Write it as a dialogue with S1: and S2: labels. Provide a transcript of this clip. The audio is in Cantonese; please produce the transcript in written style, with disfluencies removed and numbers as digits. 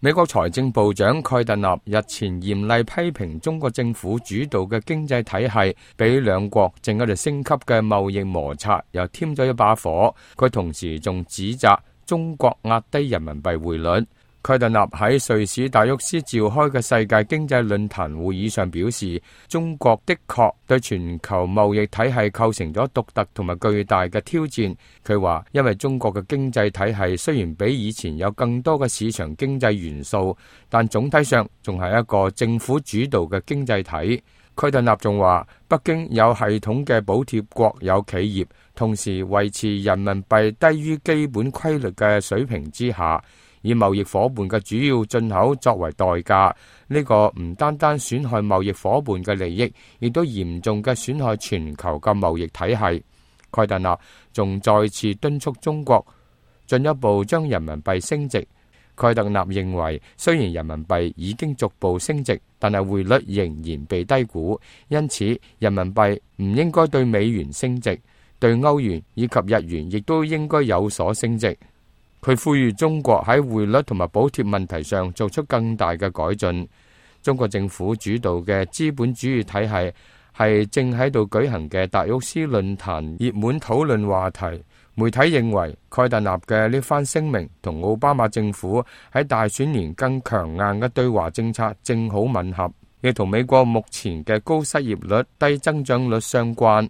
S1: 美國財政部長蓋特納日前嚴厲批評中國政府主導嘅經濟體系，俾兩國正喺度升級嘅貿易摩擦又添咗一把火。佢同時仲指責中國壓低人民幣匯率。蓋特納喺瑞士達沃斯召開嘅世界經濟論壇會議上表示，中國的確對全球貿易體系構成咗獨特同埋巨大嘅挑戰。佢話，因為中國嘅經濟體系雖然比以前有更多嘅市場經濟元素，但總體上仲係一個政府主導嘅經濟體。蓋特納仲話，北京有系統嘅補貼國有企業，同時維持人民幣低於基本規律嘅水平之下，以貿易夥伴嘅主要進口作為代價，呢個唔單單損害貿易夥伴嘅利益，亦都嚴重嘅損害全球嘅貿易體系。蓋特納仲再次敦促中國進一步將人民幣升值。蓋特納認為，雖然人民幣已經逐步升值，但係匯率仍然被低估，因此人民幣唔應該對美元升值，對歐元以及日元亦都應該有所升值。佢呼籲中國喺匯率同埋補貼問題上做出更大嘅改進。中國政府主導嘅資本主義體系係正喺度舉行嘅達沃斯論壇熱門討論話題。媒體認為蓋特納嘅呢番聲明同奧巴馬政府喺大選年更強硬嘅對華政策正好吻合，亦同美國目前嘅高失業率、低增長率相關。